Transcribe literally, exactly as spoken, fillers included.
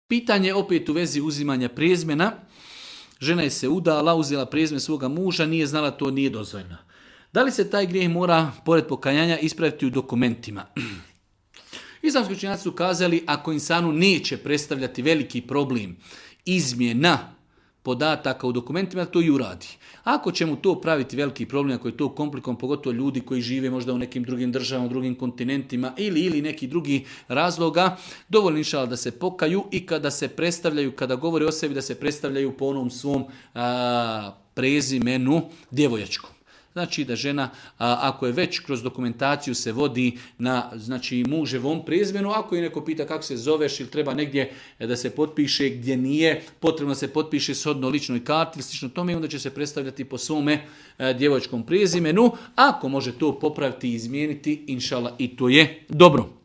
Pitanje opet u vezi uzimanja prezimena. Žena je se udala, uzela prezime svoga muža, nije znala, to nije dozvoljeno. Da li se taj grijeh mora, pored pokajanja, ispraviti u dokumentima? Islamski učenjaci su kazali, ako insanu neće predstavljati veliki problem izmjena podataka u dokumentima, to i uradi. Ako će mu to praviti veliki problem, ako je to komplikom, pogotovo ljudi koji žive možda u nekim drugim državama, u drugim kontinentima ili ili neki drugi razloga, dovoljno inšala da se pokaju i kada se predstavljaju, kada govore o sebi, da se predstavljaju po onom svom a, prezimenu djevojačkom. Znači da žena, a, ako je već kroz dokumentaciju se vodi na znači, muževom prezimenu, ako je neko pita kako se zoveš ili treba negdje da se potpiše gdje nije potrebno da se potpiše shodno ličnoj karti ili slično tome, onda će se predstavljati po svome a, djevojačkom prezimenu. Ako može to popraviti i izmijeniti, inšala i to je dobro.